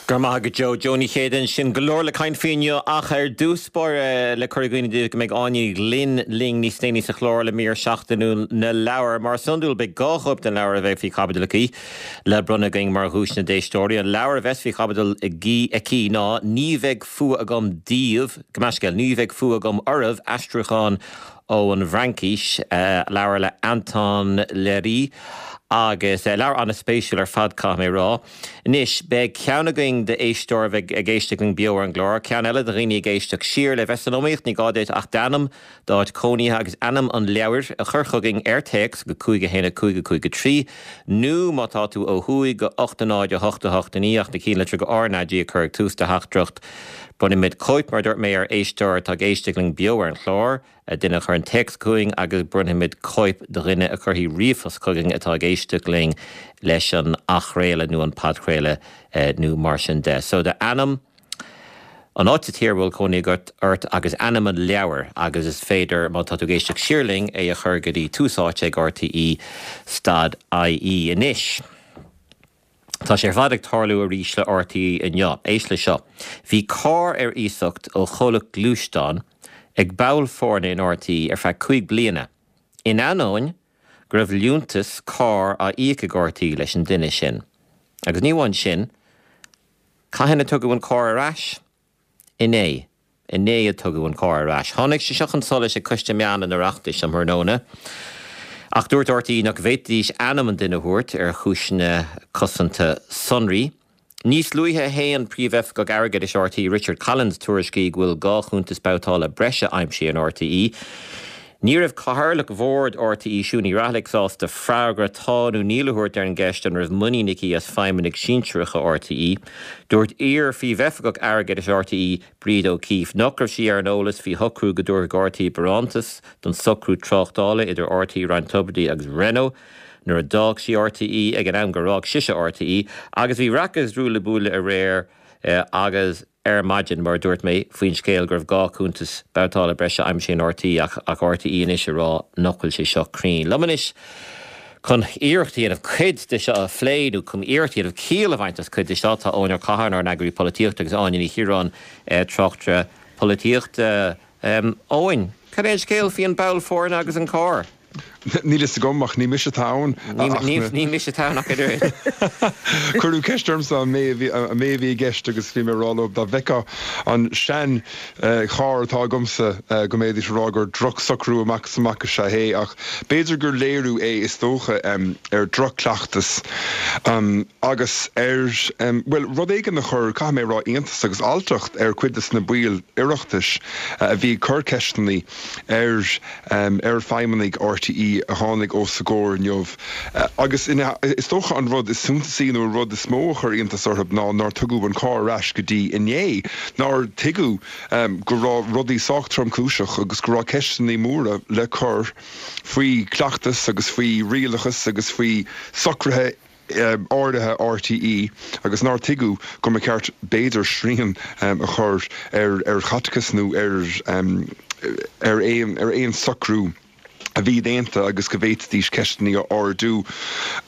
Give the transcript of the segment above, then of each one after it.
Go raibh maith agat Joe. Joe Ní Chéide ansin. Go leor le caint faoi inniu ach ar dtús báire le cur i gcuimhne daoibh go mbeidh Áine Ní Ghlinn linn níos déanaí sa chlár le mír seachtainiúil na leabhar. Mar is iondúil beidh 2 chóip den leabhar a bheidh faoi chaibidil aici le bronnadh againn mar dhuaiseanna d'éisteoirí. An leabhar a bheas faoi chaibidil aici ná Ní Bheidh Fuath Agam Daoibh, Gabh mo leithscéal, Ní Bheidh Fuath Agam Oraibh, aistriúchán ón bhFraincís, leabhar le Anton Léry agus leabhar an-spéisiúil ar fad caithfidh mé a rá. Anois, beidh ceann againn d'éisteoir a bheidh ag éisteacht linn beo ar an gclár, ceann eile do dhaoine ag éisteacht siar. Le bheith san iomaíocht, ní gá duit ach d'ainm, d'áit cónaithe agus ainm an leabhair a chur chugainn ar téacs go 5 1 5 5 3 nó, má tá tú ó thuaidh, go 8 0 8 8 9 ach na cinnlitreacha RnaG a chur ag tús do theachtaireacht. Bronnfaimid cóip, mar a dúirt mé, ar éisteoir atá ag éisteacht linn beo ar an chlár. duine a chuireann téacs chugainn agus bronnfaimid cóip do dhuine a chuirfidh ríomhphost chugainn atá ag éisteacht linn leis an athchraoladh nó an podchraoladh nó mar sin de. So d'ainm, an áit sa tír a bhfuil cónaí agat ort agus ainm an leabhair agus is féidir, má tá tú ag éisteacht siar linn, é a chur go dtí Tús Áite ag RTÉ stad IE. Anois. Tá sé ar fad ag tarlú arís le RTÉ inniu. Éist le seo. Bhí carr ar iasacht ó chomhlacht gluaisteán ag ball foirne in RTÉ ar feadh 5 bliana, in ainneoin go raibh liúntas cairr á íoc ag RTÉ leis an duine sin. Agus ní amháin sin, cathain a tugadh an carr ar ais? Inné. Inné a tugadh an carr ar ais. Tháinig sé seo chun solais ag Coiste Meán an Oireachtais um thráthnóna ach dúirt RTÉ nach bhféadfaidís ainm an duine a thabhairt ar chúiseanna cosanta sonraí. Níos luaithe shéan Príomhoifigeach Airgeadais RTÉ Richard Collins tuairiscí go bhfuil 2 chuntas babhtála breise aimsithe in RTÉ. Ní raibh Cathaoirleach Bhord RTÉ Siún Ní Raghallaigh sásta freagra tá nó níl a thabhairt ar an gceist an raibh muinín aici as feidhmeannaigh sinsearacha RTÉ. Dúirt iar-Phríomhoifigeach Airgeadais RTÉ Bríd O'Keeffe nach raibh sí ar an eolas faoi shocrú go dtabharfadh RTÉ barántas don socrú tráchtála idir RTÉ, Ryan Tubridy agus Renault nuair a d'fhág sí RTÉ ag an am gur fhág sise RTÉ agus bhí raic agus ruaille buaille aréir agus ar maidin, mar a dúirt mé, faoin scéal go raibh 2 chuntas babhtála breise aimsithe in RTÉ ach ach RTÉ anois ag rá nach bhfuil sé seo cruinn. Liom anois chun iarracht a dhéanamh cuid de seo a phlé nó chun iarracht a dhéanamh ciall a bhaint as cuid de seo tá Eoin Ó Catháin, ár n-eagraí polaitíochta agus Áine Ní Chiaráin, tráchtaire polaitíochta. Eoin, cad é an scéal faoi an ball foirne agus an carr? Níl fhios agam, ach ní mise atá ann. Ní mise atá ann ach an oiread. Cuireadh ceist ormsa an mé a bhí i gceist agus bhí mé ag rá leo dá bhfeicfeá an sean charr atá agamsa go mbeidís ag rá gur droch-socrú amach is amach is ea é ach b'fhéidir gur léiriú é is dócha ar droch-chleachtas agus ar, bhuel, rud éigin a chuir, caithfidh mé a rá, iontas agus alltacht ar chuid de na baill Oireachtais a bhí ag cur ceisteanna ar ar feidhmeannaigh RTÉ a tháinig os a gcomhair inniu. Agus is dócha an rud is suntasaí nó an rud is mó a chuir iontas orthu ná nár tugadh an carr ar ais go dtí inné, nár tuigeadh go raibh rudaí sách tromchúiseach agus go raibh ceisteanna móra le cur faoi chleachtas agus faoi rialachas agus faoi socruithe áirithe RTÉ agus nár tuigeadh go mba cheart b'fhéidir srian a chur ar chaiteachas nó ar ar aon ar aon socrú a bhí déanta agus go bhféadfaidís ceisteanna a ardú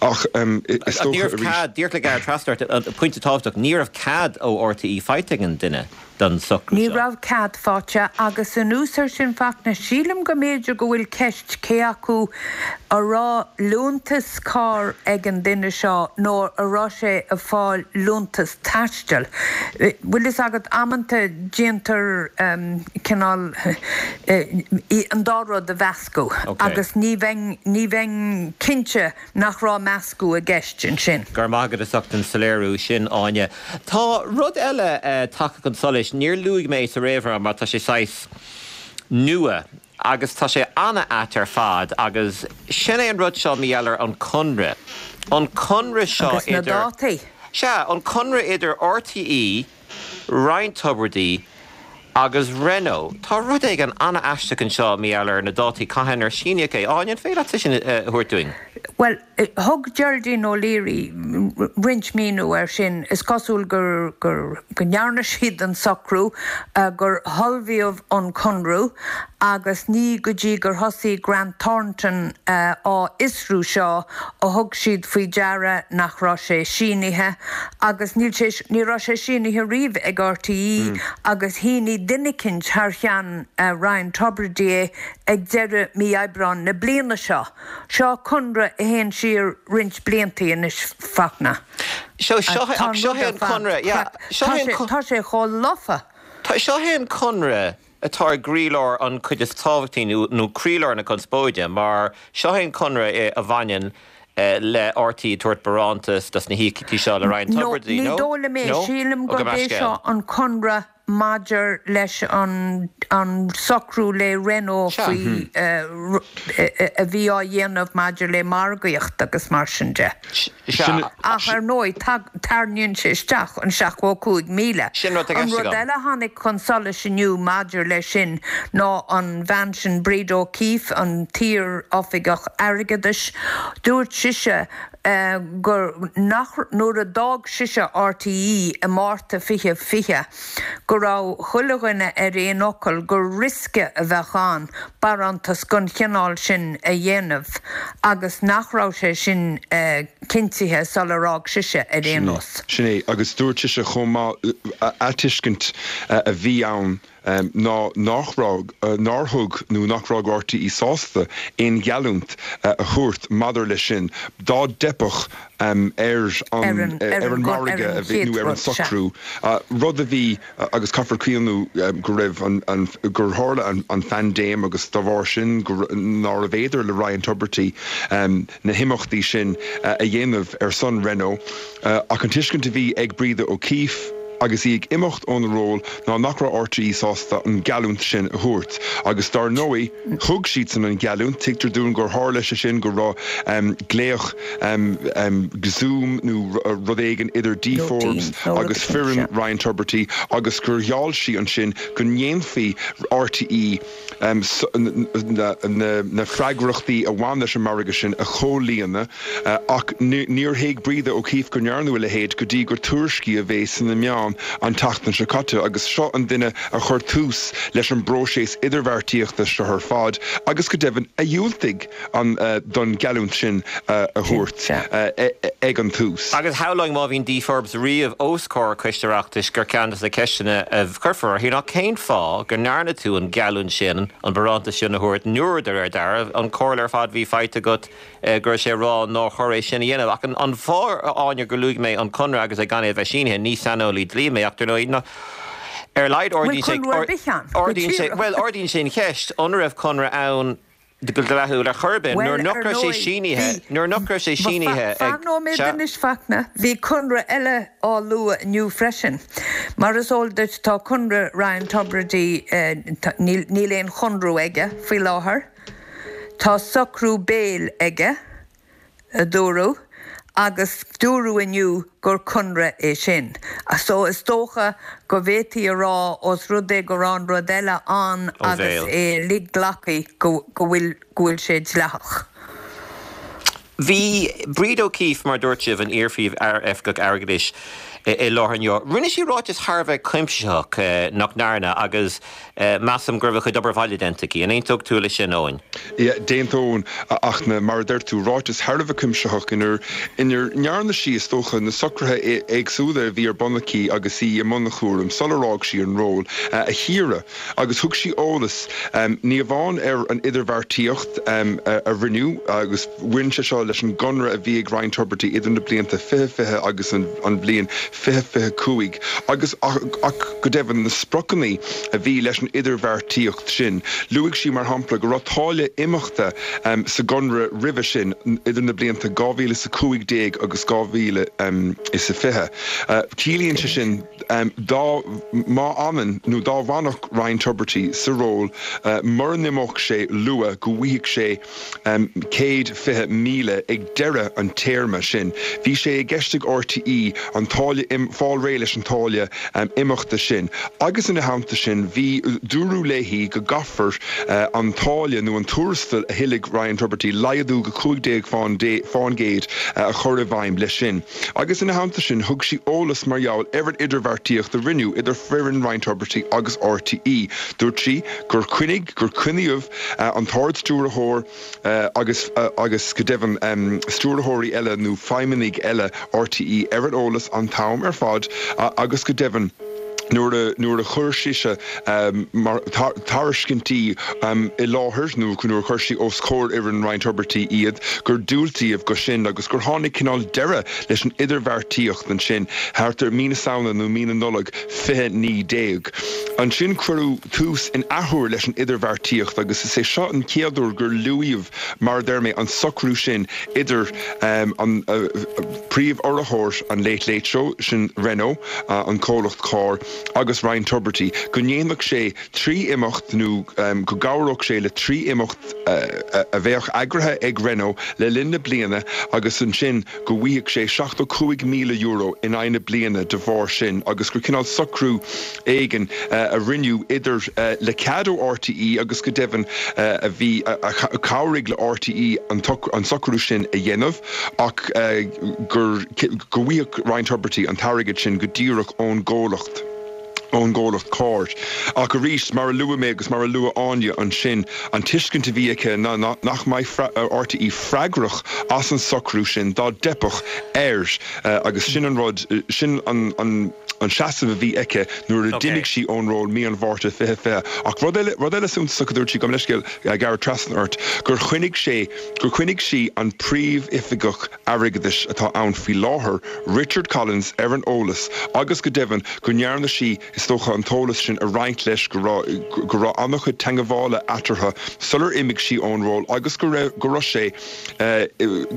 ach is dócha arís. Cead, díreach le gearradh trasna ort, pointe tábhachtach, ní raibh cead ó RTÉ faighte ag an duine. don socrú Ní seo. raibh cead faighte agus anuas air sin Fachtna, sílim go mb'fhéidir go bhfuil ceist cé acu a raibh liúntas cairr ag an duine seo nó a raibh sé ag fáil liúntas taistil. Bhfuil fhios agat, amanta déantar cineál an dá rud a mheascadh agus ní bheinn, ní bheinn cinnte nach raibh meascadh i gceist ansin. Go raibh maith agat as ucht an soiléiriú sin, Áine. Tá rud eile tagtha chun solais, níor luaigh mé é sa réamhrá mar tá sé saghas nua agus tá sé an-ait ar fad agus sin é an rud seo, mar gheall ar an conradh. An conradh seo Agus na idir. dátaí. Sea, an conradh idir RTÉ, Ryan Tubridy agus Renault. Tá rud éigin an-aisteach anseo mar gheall ar na dátaí cathain ar síníodh é. Áine, an féidir leat sin a thabhairt dúinn? Bhuel, Thug Geraldine O'Leary roinnt míniú air sin. Is cosúil gur go ndearna siad an socrú, gur ullmhaíodh an conradh agus ní go dtí gur thosaigh Grant Thornton á fhiosrú seo a thug siad faoi deara nach raibh sé sínithe agus níl sé, ní raibh sé sínithe riamh ag RTÉ agus shínigh duine eicínt thar cheann Ryan Tubridy é ag deireadh mí Aibreáin na bliana seo. Seo conradh a théann siar roinnt blianta anois, Fachtna. Seo, seo, ach seo é an conradh, yeah, seo é an. Tá sé chomh lofa. Tá, seo é an conradh atá i gcroílár an chuid is tábhachtaí nó, nó croílár na conspóide, mar seo é an conradh a bhaineann le RTÉ ag tabhairt barántas dos na híocaíochtaí seo le Ryan Tubridy, nó? Ní dóigh liom é, sílim gurb é seo an conradh maidir leis an socrú le Renault faoi a bhí á dhéanamh maidir le margaíocht agus mar sin de. Ach ar ndóigh, tarraingíonn sé isteach an 75,000. An rud eile a tháinig chun solais inniu maidir leis sin ná an bhean sin Breda O'Keeffe, an t-iar-oifigeach airgeadais, dúirt sise gur nach nuair a d'fhág sise RTÉ i Márta 2020 go raibh chuile dhuine ar aon fhocal gur riosca a bheadh ann barántas den chineál sin a dhéanamh agus nach raibh sé sin cinntithe sular fhág sise ar aon nós. Sin é, agus dúirt sise chomh maith, a tuiscint a bhí ann ná nach raibh, nár thug nó nach raibh RTÉ sásta aon gheallúint a thabhairt maidir leis sin dá dteipfeadh ar an ar an margadh a bhí nó ar an socrú, rud a bhí agus caithfear cuimhniú go raibh an gur tharla an phaindéim agus dá bharr sin go nárbh fhéidir le Ryan Tubridy na himeachtaí sin a dhéanamh ar son Renault. Ach an tuiscint a bhí ag Breda O'Keeffe agus í ag imeacht óna ról ná nach raibh RTÉ sásta an gheallúint sin a thabhairt. Agus dar ndóigh, thug siadsan an gheallúint. Tuigtear dúinn gur tharla sé sin, go raibh glaoch Zoom nó rud éigin idir Dee Forbes agus foireann Ryan Tubridy agus gur gheall sí ansin go ndéanfaí RTÉ na freagrachtaí a bhain leis an margadh sin a chomhlíonadh ach níor thuig Breda O'Keeffe go ndearnadh a leithéid go dtí gur tuairiscíodh é sna meáin an tseachtain seo caite agus seo an duine a chuir tús leis an bpróiseas idirbheartaíochta seo ar fad agus go deimhin a dhiúltaigh an don gheallúint sin a thabhairt ag an tús. Agus shamhlóinn má bhíonn Dee Forbes riamh os comhair Coiste Oireachtais gur ceann de na ceisteanna a chuirfear uirthi ná cén fáth go ndearna tú an gheallúint sin, an barántas sin a thabhairt nuair, de réir dealraimh, an chomhairle ar fad a bhí faighte agat go raibh sé ag rá nár chóir é sin a dhéanamh. Ach an fáth, a Áine, gur luaigh mé an conradh agus é gan é a bheith sínithe, ní saineolaí dlí mé ach dar ndóigh, ná ar a laghad ardaíonn sé, ardaíonn sé, bhuel ardaíonn sé an cheist, an raibh conradh ann go dleathúil ar chor ar bith nuair nach raibh sé sínithe, nuair nach raibh sé sínithe ag, Fan nóiméad anois Fachtna, bhí conradh eile á lua inniu freisin. Mar is eol duit tá conradh Ryan Tubridy, níl aon chonradh aige faoi láthair. Tá socrú béil aige. a dúradh, agus dúradh inniu gur conradh é sin. So is dócha go bhféadfaí a rá, ós rud é go raibh an rud eile ann agus é uilig glactha, go bhfuil go bhfuil sé dleathach. Bhí Breda O'Keeffe, mar a dúirt sibh, an iar-phríomh-oifigeach airgeadais, i láthair inniu. Rinne sí ráiteas thar a bheith cuimsitheach, nach ndearna, agus Measaim go raibh a cuid obair bhaile déanta aici. An aontódh tú leis sin, Eoin? Yeah, d'aontóinn, a Fhachtna. Mar a deir tú, ráiteas thar a bheith cuimsitheach inar ndearna sí, is dócha, na socruithe éagsúla a bhí ar bun aici agus í i mbun a chúraim sular fhág sí an ról, a chíoradh. Agus thug sí eolas, ní amháin ar an idirbheartaíocht a rinneadh, agus bhain sé seo leis an gconradh a bhí ag Ryan Tubridy idir na blianta 2020 agus an bhliain 2025, agus, ach go deimhin, na spriocanna a bhí leis an idirbheartaíocht sin. Luaigh sí, mar shampla, go raibh táille imeachta sa gconradh roimhe sin, idir na blianta 2015 agus 2020. Ciallaíonn sé sin, dá, má fhanann nó dá bhfanfadh Ryan Tubridy sa ról, mura n-imeodh sé luath, go bhfaighfeadh sé, 120,000 ag deireadh an téarma sin. Bhí sé i gceist ag RTÉ an táille. táille, fáil réidh leis an táille imeachta sin agus ina theannta sin bhí, dúradh léi go gcaithfear an táille nó an tuarastal a thuillfidh Ryan Tubridy laghdú go 15 fán gcéad a chur i bhfeidhm leis sin. Agus ina theannta sin thug sí eolas mar gheall ar an idirbheartaíocht a rinneadh idir foireann Ryan Tubridy agus RTÉ. Dúirt sí gur choinnigh, gur coinníodh an tArd-Stiúrthóir agus, agus go deimhin stiúrthóirí eile nó feidhmeannaigh eile RTÉ ar an eolas an t-am ar fad agus go deimhin nuair a, nuair a chuir sise mar tairiscintí i láthair nó nuair a chuir sí os comhair fhoireann Ryan Tubridy iad gur diúltaíodh go sin agus gur tháinig cineál deireadh leis an idirbheartaíocht ansin thart ar mí na Samhna nó mí na Nollag 2019. Ansin cuireadh tús in athuair leis an idirbheartaíocht agus is é seo an chéad uair gur luaíodh, mar a deir mé, an socrú sin idir an príomh-urraitheoir an Late Late Show, sin Renault, an comhlacht cairr, agus Ryan Tubridy, go ndéanfadh sé trí imeacht nó go gcabhródh sé le trí imeacht a bheadh eagraithe ag Renault le linn na bliana agus ansin go bhfaigheadh sé €75,000 in aghaidh na bliana de bharr sin agus gur cineál socrú éigin a rinneadh idir le cead ó RTÉ agus go deimhin a bhí a chabhraigh le RTÉ an socrú sin a dhéanamh ach gur go bhfaigheadh Ryan Tubridy an t-airgead sin go díreach ón gcomhlacht. ón gcomhlacht cairr. Ach arís, mar a luaigh mé agus mar a luaigh Áine ansin, an tuiscint a bhí aici ná nach mbeidh RTÉ freagrach as an socrú sin dá dteipfeadh air agus sin an rud, sin an seasamh a bhí aici nuair a d'imigh sí ón ról mí an Mhárta 2020. Ach rud eile, rud eile suntasach a dúirt sí, gabh mo leithscéal, Gareth, trasna ort, gur choinnigh sé, gur choinnigh sí an príomhoifigeach airgeadais atá ann faoi láthair, Richard Collins, ar an eolas agus go deimhin go ndearna sí, is dócha, an t-eolas sin a roinnt leis, go raibh, go raibh an-chuid teagmhála eatarthu sular imigh sí ón ról agus go raibh, go raibh sé,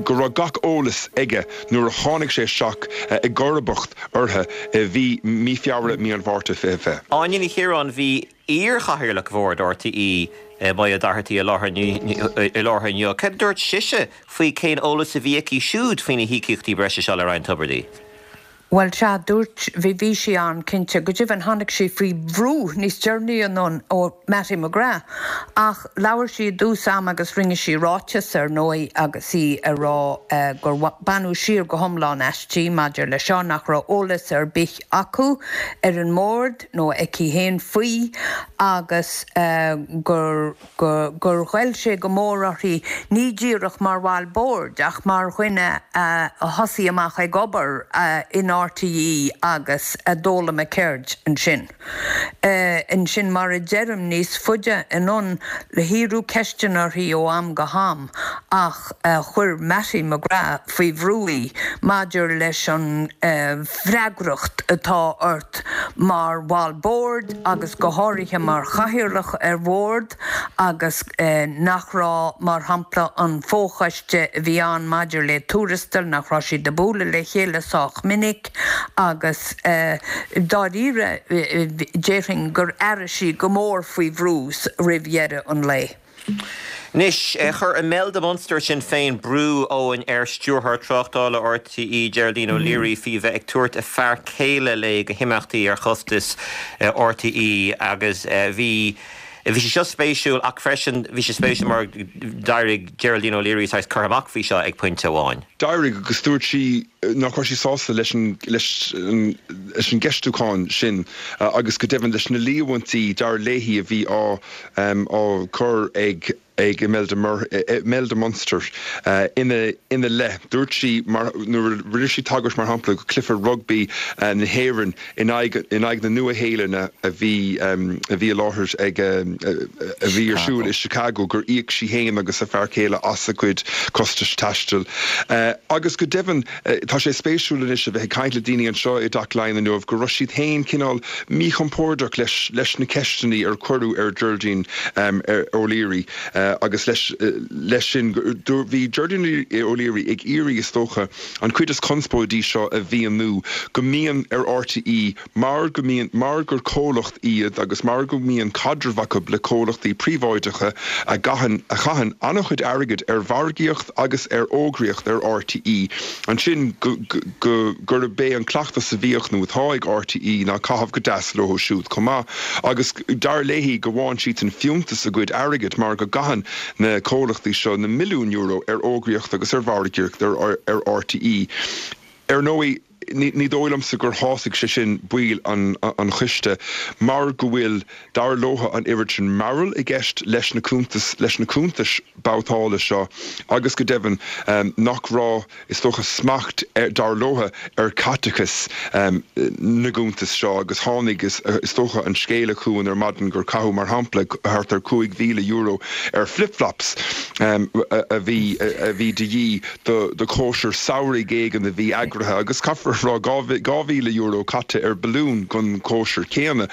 go raibh gach eolas aige nuair a tháinig sé isteach i gcomharbacht uirthi i mhí, mí Feabhra, mí an Mhárta 2020. Áine Ní Chiaráin, Bhí iar-chathaoirleach Bhord RTÉ, Moya Doherty i láthair inniu. Cad a dúirt sise faoi cén eolas a bhí aici siúd faoi na híocaíochtaí breise seo le Ryan Tubridy? Bhuel, sea, dúirt, bhí, bhí sí ann, cinnte. Go deimhin, tháinig sí faoi bhrú níos deireanaí anonn ó Mattie McGrath. Ach labhair sí i dtús ama agus rinne sí ráiteas, ar ndóigh, agus í ag rá gur baineadh siar go hiomlán aisti maidir le seo, nach raibh eolas ar bith acu ar an mbord nó aici féin faoi agus gur gur ghoill sé go mór uirthi, ní díreach mar bhall boird ach mar dhuine a thosaigh amach ag obair in RTÉ agus a d'fhoghlaim a ceird ansin. Ansin, mar a deirim, níos faide anonn, hiarradh ceisteanna uirthi ó am go ham ach chuir Mattie McGrath faoi bhrú í maidir leis an bhfreagracht atá ort mar bhall boird agus go háirithe mar chathaoirleach ar bhord agus nach raibh, mar shampla, an fo-choiste a bhí ann maidir le tuarastail, nach raibh siad ag bualadh le chéile sách minic agus dáiríre déarfainn gur airigh sí go mór faoi bhrú roimh dheireadh an lae. Anois, chuir Imelda Munster Sinn Féin brú, Eoin, ar Stiúrthóir Tráchtála RTÉ, Geraldine O'Leary, faoi bheith ag tabhairt a fear céile léi go himeachtaí ar chostas RTÉ agus bhí bhí sé seo spéisiúil ach freisin bhí sé spéisiúil mar d'éirigh Geraldine O'Leary saghas curtha amach faoi seo ag pointe amháin. D'éirigh agus dúirt sí nach raibh sí sásta leis an leis an leis an gceistiúchán sin agus go deimhin leis na líomhaintí dar léi a bhí á á cur ag ag Imelda Imelda Munster ina ina leith. Dúirt sí mar nuair a rinne sí tagairt mar shampla go cluiche rugbaí na hÉireann in aghaidh in aghaidh na Nua-Shéalainne a bhí a bhí i láthair ag a bhí ar siúl i Chicago gur íoc sí féin agus a fear céile as a cuid costais taistil. Agus go deimhin tá sé spéisiúil anois a bheith ag caint le daoine anseo i dTeach Laighean inniu go raibh siad féin cineál míchompordach leis leis na ceisteanna ar cuireadh ar Geraldine O'Leary. Agus leis leis sin, bhí Geraldine O'Leary ag iarraidh, is dócha, an chuid is conspóidí seo a mhíniú, go mbíonn ar RTÉ Mar go mbíonn, mar gur comhlacht iad agus mar go mbíonn caidreamh acu le comhlachtaí príobháideacha a gcaitheann, a chaitheann an-chuid airgid ar mhargaíocht agus ar fhógraíocht ar RTÉ, ansin go, go, gurb é an cleachtas a bhíodh nó atá ag RTÉ ná caitheamh go deas leo siúd chomh maith. Agus dar léi go bhfaigheann siadsan fiúntas a gcuid airgid mar go gcaitheann na comhlachtaí seo na milliúin euro ar fhógraíocht agus ar mhargaíocht ar, ar RTÉ. Ar ndóigh, Ní dóigh liomsa gur shásaigh sé sin baill an choiste mar go bhfuil, dar leotha, an oiread sin mearbhaill i gceist leis na cuntais, leis na cuntais babhtála seo agus go deimhin nach raibh, is dócha, smacht, dar leotha, ar chaiteachas na gcuntas seo agus tháinig, is dócha, an scéala chugainn ar maidin gur caitheadh, mar shampla, thart ar €5,000 ar flip-flops a bhí, a bhí de dhíth. do chóisir samhraidh éigin a bhí eagraithe agus caithfear a rá, €2,000 caite ar balún don chóisir chéanna.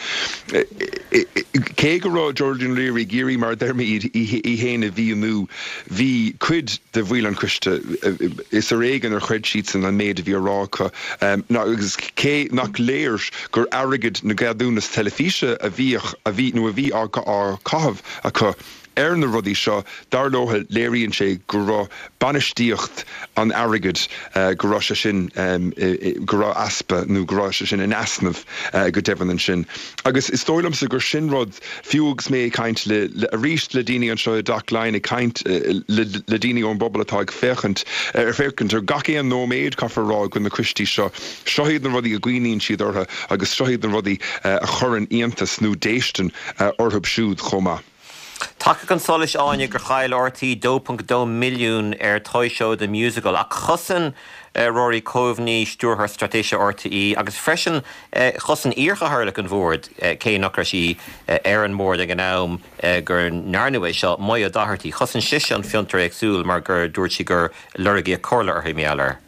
Cé go raibh Geraldine O'Leary ag iarraidh, mar a deir mé, í féin a mhíniú, bhí cuid de bhaill an choiste, is ar éigean ar chreid siadsan an méid a bhí á rá acu agus cé nach léir gur airgead na gceadúnas teilifíse a bhíodh, a bhí nó a bhí á chaitheamh acu, Ar na rudaí seo, dar leo, léiríonn sé go raibh bainistíocht an airgid, go raibh sé sin, go raibh easpa nó go raibh sé sin in easnamh go deimhin ansin. Agus is dóigh liomsa gur sin rud, fiú agus mé ag caint le, arís le daoine anseo i dTeach Laighean, ag caint le daoine ón bpobal atá ag féachaint, ar féachaint ar gach aon nóiméad, caithfear a rá, de na coistí seo, seo iad na rudaí a gcuimhníonn siad orthu agus seo iad na rudaí a chuireann iontas nó déistin orthu siúd chomh maith. Tagtha chun solais, Áine, gur chaill RTÉ 2.2 milliún ar Toy Show The Musical ach chosain Rory Coveney, Stiúrthóir Straitéise RTÉ, agus freisin chosain iarchathaoirleach an bhoird, cé nach raibh sí ar an mbord ag an am go ndearnadh é seo, Moya Doherty, chosain sise an fiontar éagsúil mar gur dúirt sí gur lorgaíodh comhairle uirthi mar gheall air.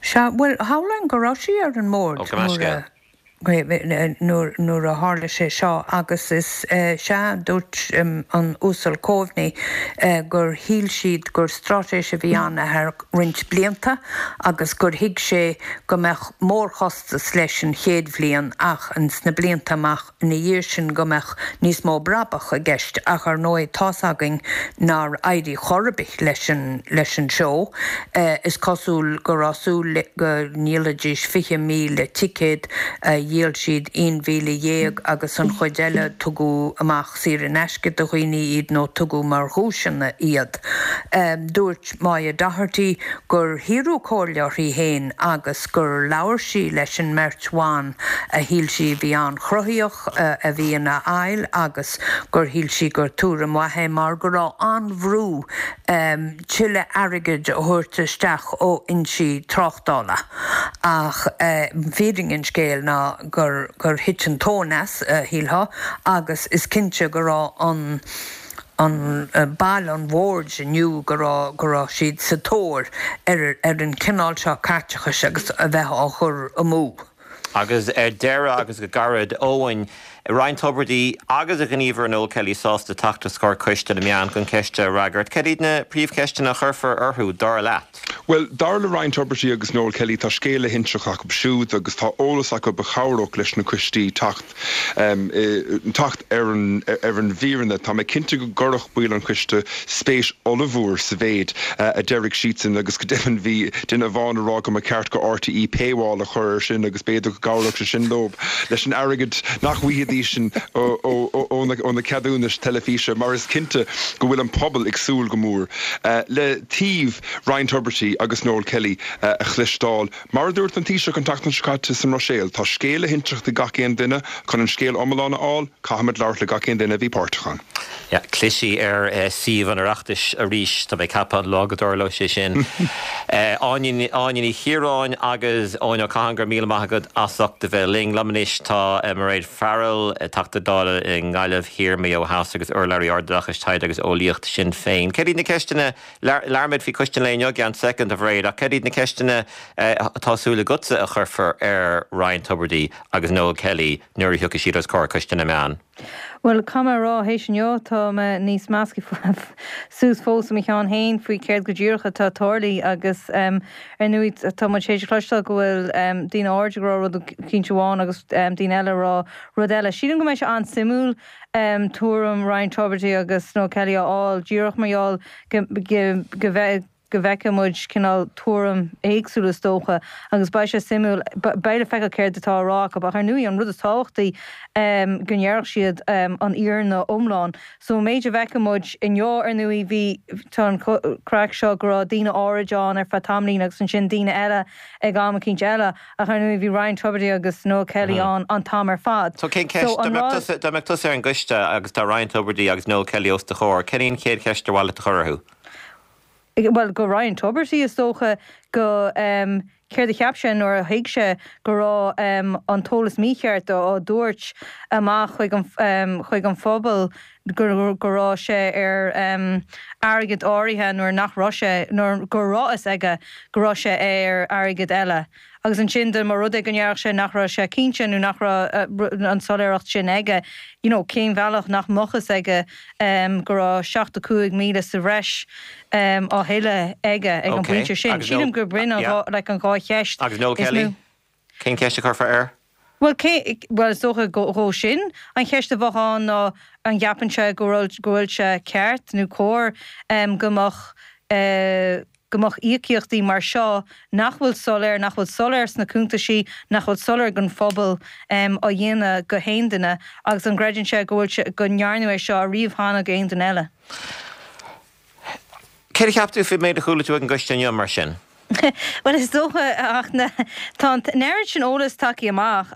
Sea, bhuel, shamhlóinn go raibh sí ar an mbord Ó, gabh mo leithscéal. Nuair a tharla sé seo agus is sea, dúirt an Uasal Coveney gur shíl siad gur straitéis a bhí ann ar feadh roinnt blianta agus gur thuig sé go mbeadh mórchostas leis an chéad bhliain ach sna blianta amach ina dhiaidh sin go mbeadh níos mó brabach i gceist ach ar ndóigh tá's againn nár éirigh chor ar bith leis an leis an seó. Is cosúil go raibh súil go ndíolfaidís 20,000 ticéad, dhíol siad 11,000 agus an chuid eile tugadh amach saor in aisce do dhaoine iad nó tugadh mar dhuaiseanna iad. Dúirt. Moya Doherty gur hiarradh comhairle uirthi féin agus gur labhair sí leis an mbeirt bhan a shíl sí a bhí an-chruthaíoch, a bhí ina fhaill agus gur shíl sí gur tuairim mhaith é mar go raibh an-bhrú tuilleadh airgid a thabhairt isteach ó fhoinsí tráchtála. Ach fírinne an scéil ná gur gur thit an tóin as, shílfeá, agus is cinnte go raibh an an baill an bhoird inniu go raibh go raibh siad sa tóir ar ar an chineál seo caiteachais agus a bheith á chur amú. Agus ar deireadh agus go gairid, Eoin, Ryan Tubridy agus a ghníomhaire Noel Kelly sásta teacht os comhair Coiste na Meán chun ceisteanna a fhreagairt. Cad iad na príomhcheisteanna a chuirfear orthu, dar leat? Bhuel, dar le Ryan Tubridy agus Noel Kelly tá scéal le hinseacht acu siúd agus tá eolas acu a chabhródh leis na coistí teacht teacht ar an ar an bhfírinne. Tá mé cinnte go gcuirfeadh baill an choiste spéis ollmhór sa mhéid a déarfaidh siadsan agus go deimhin bhí duine amháin ag rá go mba cheart go RTÉ paywall a chur air sin agus b'fhéidir go gcabhródh sé sin leo leis an airgead nach bhfaighidís ó na ceadúnais teilifíse mar is cinnte go bhfuil an pobal ag súil go mór le taobh Ryan Tubridy agus Noel Kelly a chloisteáil. Mar a dúirt an Taoiseach an tseachtain seo caite sa mBruiséil, tá scéal le hinseacht ag gach aon duine. Chun an scéal iomlán a fháil, caithfimid labhairt le gach aon duine a bhí páirteach ann. Yeah, cliseadh ar suíomh an Oireachtais arís, tá mé ag ceapadh, an lá go dtarlóidh sé sin. Áine, Áine Ní Chiaráin agus Eoin Ó Catháin, go raibh míle maith agat as ucht a bheith linn. Liom anois tá Mairéad Farrell, Teachta Dála i nGaillimh Thiar, Maigh Eo Theas agus urlabhraí Ardoideachais, Taighde agus Eolaíocht Shinn Féin. Céard iad na ceisteanna Labhróimid faoi Coiste an lae inniu i gceann soicind, a Mhairéad, ach cad iad na ceisteanna atá súil agatsa a chuirfear ar Ryan Tubridy agus Noel Kelly nuair a thiocfaidh siad os comhair Coiste na Meán? Bhuel, caithfidh mé a rá, théis inniu, tá mé níos measctha suas fós i mo cheann féin faoi céard go díreach atá tarlaithe agus ar ndóigh tá muid théis a chloisteáil go bhfuil daoine áirid ag rá rud eicínt amháin agus daoine eile ag rá rud eile. Sílim go mbeidh sé an-suimiúil tuairim Ryan Tubridy agus Noel Kelly a fháil díreach mar gheall go go bheidh go bhfeicfidh muid cineál tuairim éagsúil is dócha agus beidh sé suimiúil, beidh le feiceáil céard atá á rá acu ach ar ndóigh an rud is tábhachtaí go ndéarfadh siad an fhírinne iomlán. So an méid a bhfeicfidh muid inniu ar ndóigh bhí, tá an craic seo go raibh daoine áirid ann ar feadh tamaillín agus ansin daoine eile ag am eicínt eile ach ar ndóigh bhí Ryan Tubridy agus Noel Kelly ann an t-am ar fad. So cén ceist, dá mbeadh tusa, dá mbeadh tusa ar an gcoiste agus tá Ryan Tubridy agus Noel Kelly os do chomhair, cén í an chéad cheist ar mhaith leat a chur orthu? bhuel, go Ryan Tubridy is dócha, go céard a cheap sé nuair a thuig sé go raibh an t-eolas mícheart á dtabhairt amach chuig an chuig an phobal go go raibh sé ar airgead áirithe nuair nach raibh sé, nuair go raibh fhios aige go raibh sé ar airgead eile. Agus ansin dá mba rud é go ndéarfadh sé nach raibh sé cinnte nó nach raibh an soiléireacht sin aige, you know, cén bhealach nach mbeadh fhios aige go raibh 75,000 sa bhreis á thuilleadh aige ag an bpointe sin. Sílim gur b'in an dhá, like, an dhá cheist Agus Noel Kelly? Cén cheist a chuirfeá air? Bhuel, cé, bhuel, is dócha dhó sin, an cheist a bheadh ann ná an gceapann sé go bhfuil, go bhfuil sé ceart nó cóir go mbeadh, go mbeadh íocaíochtaí mar seo nach bhfuil soiléir, nach bhfuil soiléir sna cuntaisí, nach bhfuil soiléir don phobal, á dhéanamh go haon duine agus an gcreideann sé go bhfuil sé, go ndearnadh é seo ariamh cheana go aon duine eile. Céard a cheap tú faoin méid a chuala tú ag an gcoiste inniu, mar sin? Bhuel, is dócha, ach na, tá an oiread sin eolas tagtha amach,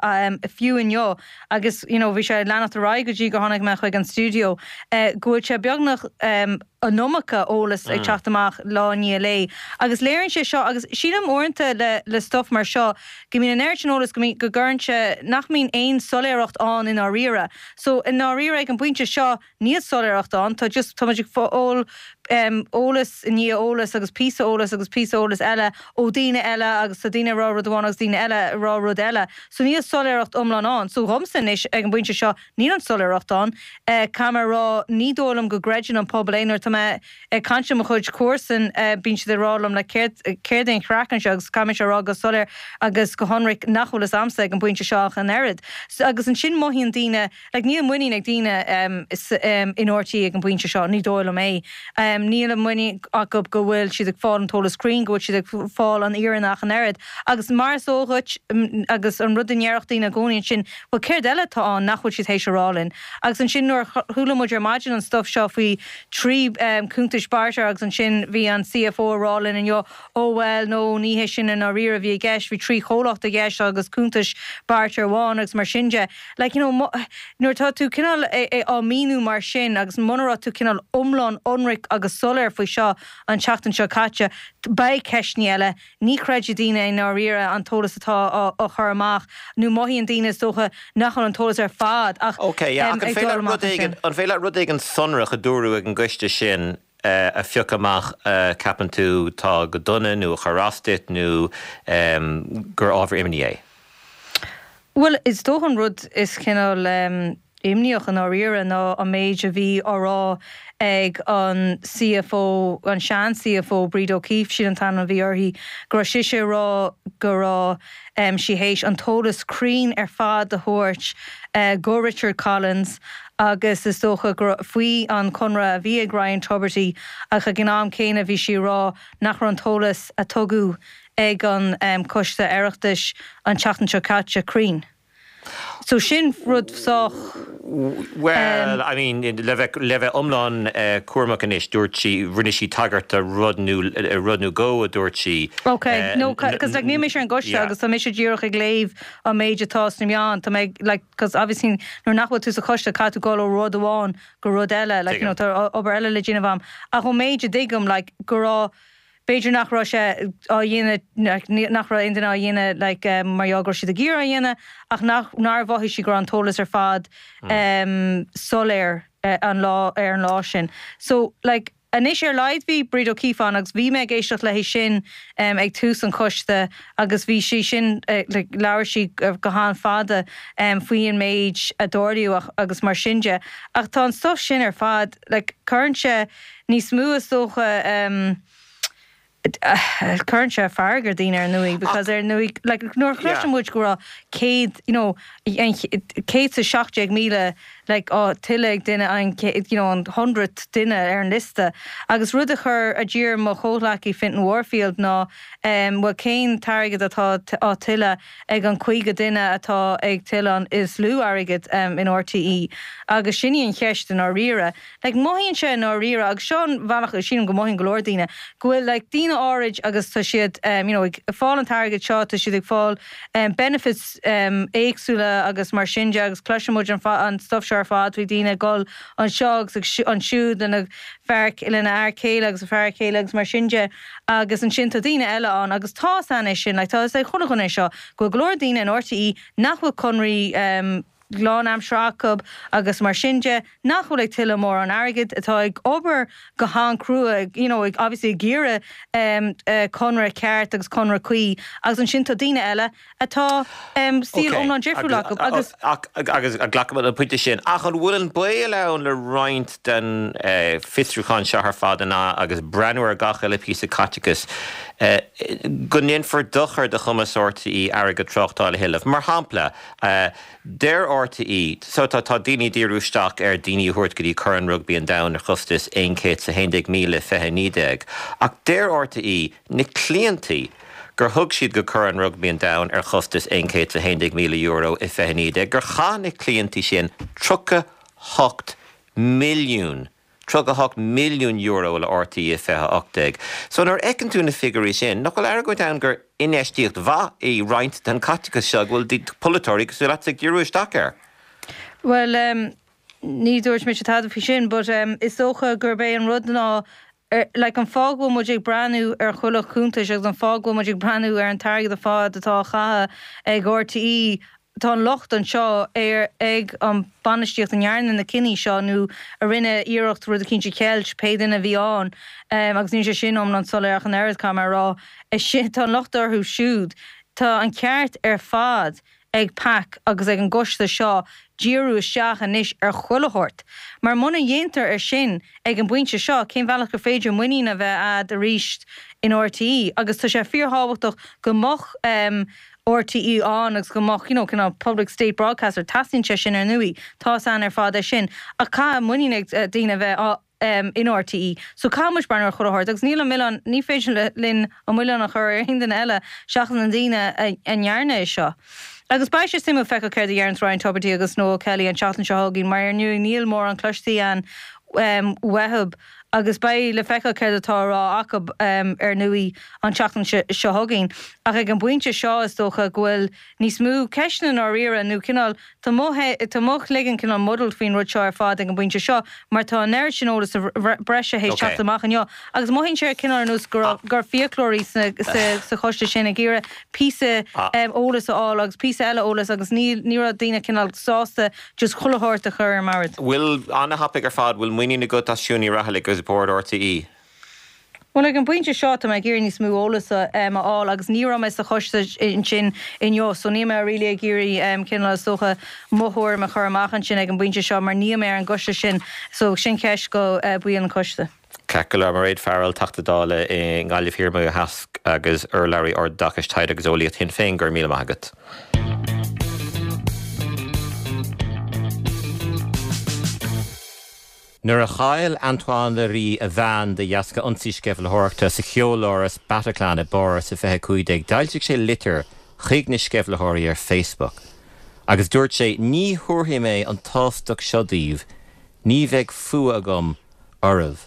fiú inniu, agus, you know, bhí sé ag leanacht ar aghaidh go dtí gur tháinig mé chuig an stiúideo, go bhfuil sé beagnach an iomarca eolas ag teacht amach lá i ndiaidh lae. Agus léiríonn sé seo, agus sílim uaireanta le, le stuff mar seo, go mbíonn an oiread sin eolas go mbíonn, go gcuireann sé, nach mbíonn aon soiléireacht ann i ndáiríre. So, i ndáiríre ag an bpointe seo, Níl soiléireacht ann, tá just, tá muid ag fáil eolas i ndiaidh eolas agus píosa eolas agus píosa eolas eile ó daoine eile agus tá daoine ag rá rud amháin agus daoine eile ag rá rud eile. So níl soiléireacht iomlán ann. So dhomsa anois ag an bpointe seo níl an soiléireacht ann. Caithfidh mé a rá ní dóigh liom go gcreideann an pobal é. Nuair atá mé ag caint le mo chuid comharsan bíonn siad ag rá liom like céard, céard é an chraic anseo agus caithfidh mise a rá go soiléir agus go hionraic nach bhfuil fhios a'msa ag an bpointe seo ach an oiread. Agus ansin mothaíonn daoine Like, níl muinín ag daoine in RTÉ ag an bpointe seo, ní dóigh liom é. Níl an muinín acu go bhfuil siad ag fáil an t-eolas cruinn, go bhfuil siad ag fáil an fhírinne ach an oiread. Agus mar is eol dhuit, agus an rud a ndéarfadh daoine i gcónaí ansin, bhuel céard eile atá ann nach bhfuil siad théis a rá linn? Agus ansin nuair a chuala muid ar maidin an stuif seo faoi thrí cuntais barter agus ansin bhí an CFO ag rá linn inniu, Ó bhuel, no, ní hé sin i ndáiríre a bhí i gceist, bhí 3 chomhlacht i gceist agus cuntais barter amháin agus mar sin de. Like, you know, nuair atá tú cineál á míniú mar sin agus muna raibh tú cineál iomlán ionraic agus soiléir faoi seo an tseachtain seo caite, beidh ceisteanna eile, ní chreidfidh daoine i ndáiríre an t-eolas atá á chur amach nó mothaíonn daoine is dócha nach bhfuil an t-eolas ar fad ach Ok, yeah, ach an féidir leat rud éigin, an féidir leat rud éigin sonrach a dúradh ag an gcoiste sin a phiocadh amach a ceapann tú tá go dona nó a chuir as duit nó gur ábhar imní é? Bhuel, is dócha an rud is cineál imníoch i ndáiríre ná an méid a bhí á rá ag an CFO, an sean-CFO, Bríd O'Keeffe, sin an t-ainm a bhí uirthi, go raibh sise ag rá go raibh sí théis an t-eolas cruinn ar fad a thabhairt go Richard Collins agus is dócha go faoi an conradh a bhí ag Ryan Tubridy ach ag an am céanna bhí sí ag rá nach raibh an t-eolas a tugadh ag an Coiste Oireachtais an tseachtain seo caite cruinn. So sin rud sách. Bhuel, I mean, le bheith, le bheith iomlán cúramach anois, dúirt sí, rinne sí tagairt do rud nó, rud nó dhó a dúirt sí. Ok, no, cos like níl mise ar an gcoiste agus tá mise díreach ag léamh an méid atá sna meáin, tá mé ag, like, cos obviously nuair nach bhfuil tú sa choiste caithfidh tú dul ó rud amháin go rud eile, like, you know, tá obair eile le déanamh a'm. Ach ón méid a dtuigim, like, go raibh, B'fhéidir nach raibh sé á dhéanamh, nach raibh aon duine á dhéanamh like mar gheall go raibh siad ag iarraidh á dhéanamh ach nach, nár mhothaigh sí go raibh an t-eolas ar fad soiléir an lá, ar an lá sin. So like. Anois ar a laghad bhí Bríd O'Keeffe ann agus bhí mé ag éisteacht léi sin ag tús an choiste agus bhí sí sin, like, labhair sí go han-fhada faoi an méid a dtarlaíodh agus mar sin de. Ach tá an stuff sin ar fad, like, cuireann sé níos mó is dócha, Cuireann sé fearg ar daoine ar ndóigh because ar ndóigh like nuair a chloiseann muid go raibh 100 you know 117,000 like á tuilleadh ag duine an you know an hundredth duine ar an liosta agus rud a chuir a d'iarr mo chomhghleacaí Fintan Warfield ná um bhuel cén t-airgead atá á tuilleadh ag an 50 duine atá ag tuilleadh an is lú airgead um in RTÉ agus sin í an cheist i ndáiríre. Like, mothaíonn sé i ndáiríre, agus seo an bhealach, sílim go mothaíonn go leor daoine, go bhfuil like daoine áirid agus tá siad you know ag fáil an t-airgead seo, tá siad ag fáil benefits éagsúla agus mar sin de agus cloiseann muid an an stuff seo ar fad faoi daoine ag dul anseo agus ag ansiúd lena fear lena fhear céile agus a fear céile agus mar sin de agus ansin tá daoine eile ann agus tá 'fhios a'inn é sin, like tá 'fhios ag chuile dhuine seo go bhfuil go leor daoine in RTÉ nach bhfuil conraí lánaimseartha acu agus mar sin de, nach bhfuil ag tuilleadh mórán airgid, atá ag obair go han-chrua, you know, obviously ag iarraidh conradh ceart agus conradh cuí agus ansin tá daoine eile atá saol iomlán difriúil acu agus. Agus glacaim an pointe sin. Ach an bhfuil an baol ann le roinnt den fiosrúchán seo ar fad an ea agus breathnú ar gach uile píosa caiteachais go ndéanfar dochar do chumas RTÉ airgead tráchtála a thuilleamh? Mar shampla, Deir RTÉ, so tá tá daoine ag díriú isteach ar daoine a thabhairt go dtí Corn Rugbaí an Domhain ar chostas 111,000 i 2019, ach deir RTÉ na cliantaí gur thug siad go Corn Rugbaí an Domhain ar chostas €111,000 i 2019, gur chaith na cliantaí sin 38 milliún €38 milliún le RTÉ i 2018. So nuair a fheiceann tú na figiúirí sin, nach bhfuil argóint ann gur infheistíocht mhaith í roinnt den chaiteachas seo go bhfuil polaiteoirí cosúil leatsa ag díriú isteach air? Bhuel, ní dúirt mise tada faoi sin, but is dócha gurb é an rud ná, like, an fáth go bhfuil muid ag breathnú ar chuile chuntais agus an fáth go bhfuil muid ag breathnú ar an t-airgead ar fad atá á chaitheamh ag RTÉ Tá an locht anseo ar ag an bainistíocht a ndearna na cinní seo nó a rinne iarracht rud eicínt a cheilt, pé duine a bhí ann, agus níl sé sin iomlán soiléir ach an oiread, caithfidh mé a rá. Tá an locht orthu siúd. Tá an ceart ar fad ag PAC agus ag an gcoiste seo díriú isteach anois ar chuile shórt. Mar muna ndéantar é sin ag an bpointe seo, cén bhealach gur féidir muinín a bheith a'd arís in RTÉ? Agus tá sé fíorthábhachtach go mbeadh RTÉ ann agus go mbeadh, you know, cineál public state broadcaster, teastaíonn sé sin ar ndóigh, tá 'fhios a'inn ar fad é sin, ach caithfidh muinín ag daoine a bheith in RTÉ. So caithfidh muid breathnú ar chuile shórt agus níl an milleán, ní féidir linn an milleán a chur ar aon duine eile seachas na daoine a ndearna é seo. Agus beidh sé suimiúil feiceáil céard a deireanns Ryan Tubridy agus Noel Kelly an tseachtain seo chugainn mar ar ndóigh níl mórán cloiste a'inn uathu. Agus beidh le feiceáil céard atá á rá acu, ar ndóigh, an tseachtain seo chugainn. Ach ag an bpointe seo, is dócha go bhfuil níos mó ceisteanna i ndáiríre, nó cineál, tá mo, tá mo chloigeann cineál muddled faoin rud seo ar fad ag an bpointe seo, mar tá an oiread sin eolas breise théis teacht amach inniu, agus mothaíonn sé cineál ar nós go raibh, go raibh fiaclóirí sna, sa, sa choiste sin ag iarraidh píosa eolais a fháil agus píosa eile eolais agus ní, ní raibh daoine cineál sásta Just chuile shórt a chur ar an mbord. Bhfuil, an-thapaidh ar fad, bhfuil muinín agat as Siún Ní Raghallaigh agus Bord RTÉ? Bhuel, ag an bpointe seo, tá mé ag iarraidh níos mó eolas a fháil agus ní raibh mé sa choiste ansin inniu so níl mé really ag iarraidh cineál is dócha mo thuairim a chur amach ansin ag an bpointe seo mar níl mé ar an gcoiste sin so sin ceist go baill an choiste. Ceart go leor, Mairéad Farrell, Teachta Dála i nGaillimh Thiar, Maigh Eo Theas agus urlabhraí Ardoideachais, Taighde agus Eolaíocht Shinn Féin, go raibh míle maith agat. Nuair a chaill Antoine Leiris a bhean de dheasca ionsaí sceimhlitheoireachta sa cheoláras Bataclan i bPáras i 2015, d'fhoilsigh sé litir chuig na sceimhlitheoirí ar Facebook agus dúirt sé, Ní thabharfaidh mé an tsástacht seo daoibh, ní bheidh fuath agam oraibh.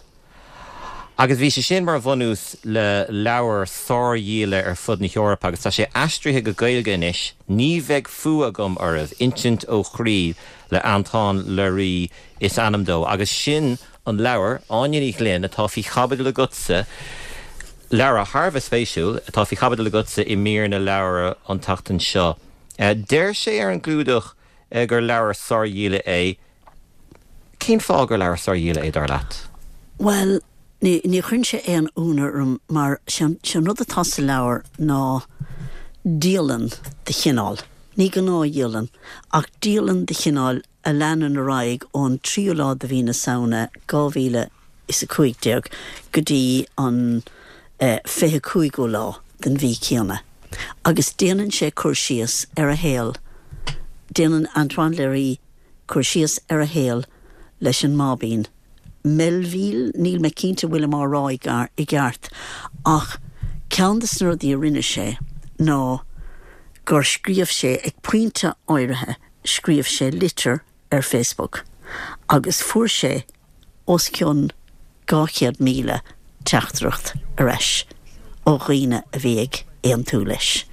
Agus bhí sé sin mar bhunús le leabhar sárdhíola ar fud na hEorpa agus tá sé aistrithe go Gaeilge anois, Ní Bheidh Fuath Agam Oraibh, Insint ó Chroí le Antoine Leiris is ainm dó. Agus sin an leabhar, Áine Ní Ghlinn, atá faoi chaibidil agatsa, leabhar thar a bheith spéisiúil, atá faoi chaibidil agatsa i mír na leabhar an tseachtain seo. Deir sé ar an gclúdach gur leabhar sárdhíola é. Cén fáth gur leabhar sárdhíola é, dar leat? Bhuel, Ní chuireann sé aon ionadh orm mar sé an rud atá sa leabhar ná dialann de chineál, ní gnáthdhialann, ach dialann de chineál a leanann ar aghaidh ón tríú lá de mhí na Samhna 2015 go dtí an 25ú lá den mhí céanna agus déanann sé cur síos ar a shaol, déanann Antoine Leiris cur síos ar a shaol leis an mBáibín. Melville, níl mé cinnte an bhfuilim á rá i gceart, ach ceann de na rudaí a rinne sé ná gur scríobh sé, ag pointe áirithe, scríobh sé litir ar Facebook agus fuair sé os cionn 200,000 teachtaireacht ar ais ó dhaoine a bhí ag aontú leis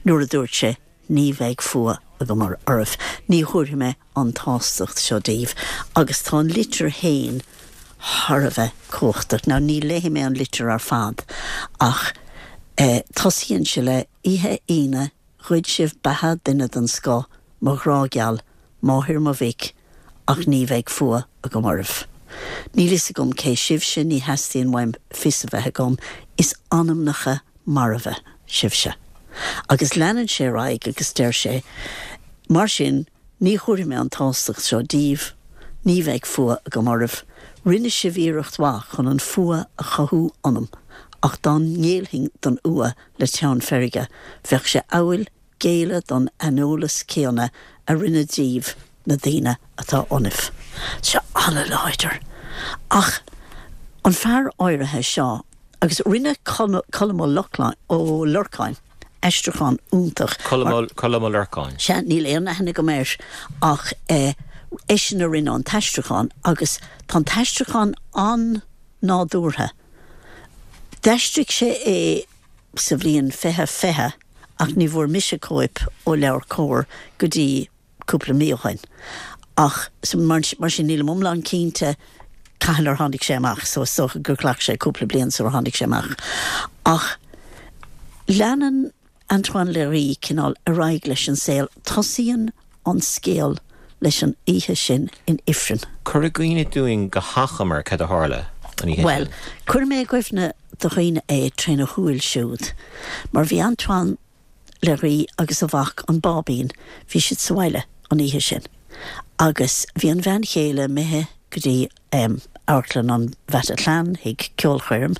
nuair a dúirt sé Ní bheidh fuath agam oraibh. Ní thabharfaidh mé an tsástacht seo daoibh. Agus tá an litir féin thar a bheith cumhachtach. Now, ní léifidh mé an litir ar fad, ach tosaíonn sé le, Oíche Aoine, ghoid sibh beatha duine den scoth, mo ghrá geal, máthair mo mhic, ach ní bheidh fuath agam oraibh. Níl fhios agam cé sibhse, ní theastaíonn uaim fios a bheith agam, is anamnacha marbha sibhse. Agus leanann sé ar aghaidh agus deir sé, Mar sin, ní thabharfaidh mé an tsástacht seo daoibh, ní bheidh fuath agam oraibh. Rinne sibh iarracht mhaith chun an fuath a chothú ionam, ach dá ngéillfinn don fhuath le teann feirge, bheadh sé amhail géilleadh don aineolas céanna a rinne díbh na daoine atá ionaibh. Seo an-láidir. Ach an fear áirithe seo, agus rinne Colm Ó Lorcáin aistriúchán iontach. Colm Ó Lorcáin. Sea, níl aon aithne agam air ach eisean a rinne an t-aistriúchán agus tá an t-aistriúchán an-nádúrtha. D'aistrigh sé é sa bhliain 2020 ach ní bhfuair mise cóip ó LeabhairCOMHAR go dtí cúpla mí ó shoin. Ach mar sin nílim iomlán cinnte cathain ar tháinig sé amach so is dócha gur ghlac sé cúpla bliain sular tháinig sé amach. Ach leanann Antoine Leiris cineál ar aghaidh leis an saol. Tosaíonn an scéal leis an oíche sin in ifreann. Cuir i gcuimhne dúinn go hachomair cad a tharla an oíche sin. Bhuel, cuirfidh mé i gcuimhne do dhaoine é tréna shúil siúd. Mar bhí Antoine Leiris agus a mhac, an Báibín, bhí siad sa bhaile an oíche sin. Agus bhí an bhean chéile imithe go dtí Amharclann an Bhataclan chuig ceolchoirm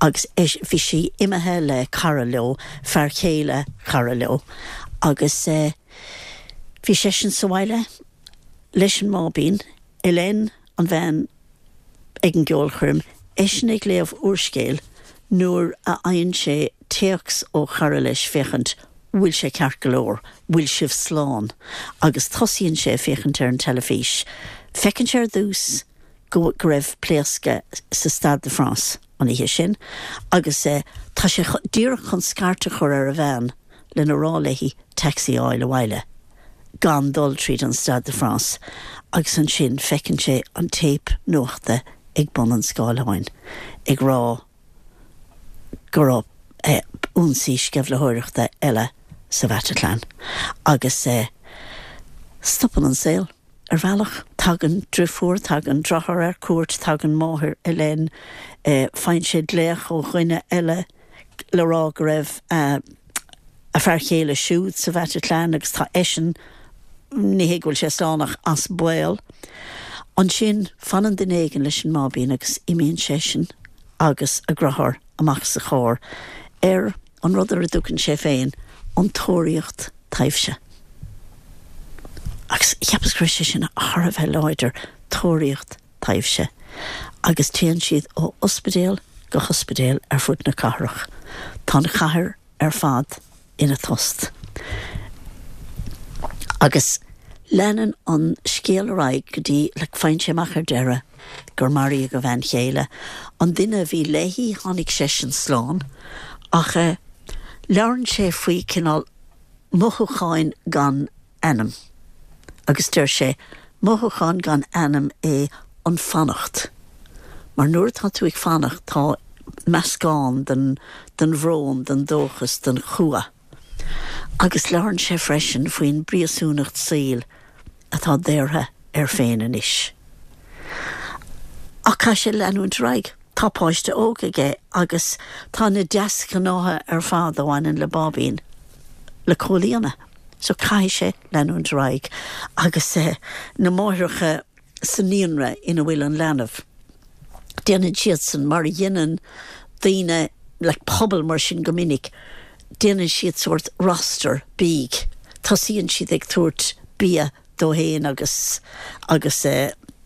agus bhí sí imithe le cara leo, fear chéile cara leo, agus bhí seisean sa bhaile leis an mBáibín, Hélène, an bhean ag an gceolchoirm, eisean ag léamh úrscéil nuair a fhaigheann sé téacs ó chara leis féachaint bhfuil sé ceart go leor, bhfuil sibh slán? agus tosaíonn sé ag féachaint ar an teilifís. Feiceann sé ar dtús go go raibh pléascadh sa Stade de France an oíche sin agus tá sé díreach chun scairt a chur ar a bhean lena rá léi taxi a fháil abhaile gan dul tríd an Stade de France agus ansin feiceann sé an téip nuachta ag bun an scáileáin ag rá go raibh ionsaí sceimhlitheoireachta eile sa Bhataclan agus stopann an saol ar bhealach. Tagann driofúr, tagann deartháir ar cuairt, tagann máthair Hélène, faigheann sé glaoch ó dhuine eile le rá go raibh a fear chéile siúd sa Bhataclan agus tá eisean, ní hé go bhfuil sé slán ach as baol. Ansin fanann duine éigin leis an mBáibín agus imíonn seisean agus a dheartháir amach sa charr ar an rud ar a dtugann sé féin an tóraíocht taibhse. Agus cheapas go raibh sé sin thar a bheith láidir, tóraíocht taibhse. Agus téann siad ó ospidéal go hospidéal ar fud na cathrach. Tá an chathair ar fad ina tost. Agus leanann an scéal ar aghaidh go dtí, like, faigheann sé amach ar deireadh gur maraíodh a bhean chéile. An duine a bhí léi, tháinig seisean slán. Ach eh, labhrann sé faoi cineál mothúcháin gan ainm. Agus deir sé, mothúchán gan ainm é an fanacht. Mar nuair atá tú ag fanacht tá meascán den, den bhrón, den dóchas, den chumha. Agus labhrann sé freisin faoin bpríosúnacht saoil atá daortha air féin anois. Ach caithfidh sé leanúint ar aghaidh. Tá páiste óg aige agus tá na deasghnátha ar fad a bhaineann le báibín le comhlíonadh. So caithfidh sé leanúint ar aghaidh agus na máithreacha sa naíonra ina bhfuil an leanbh, déanann siadsan mar a dhéanann daoine like pobal mar sin go minic, déanann siad sórt roster bídh, tosaíonn siad ag tabhairt bia dó fhéin agus agus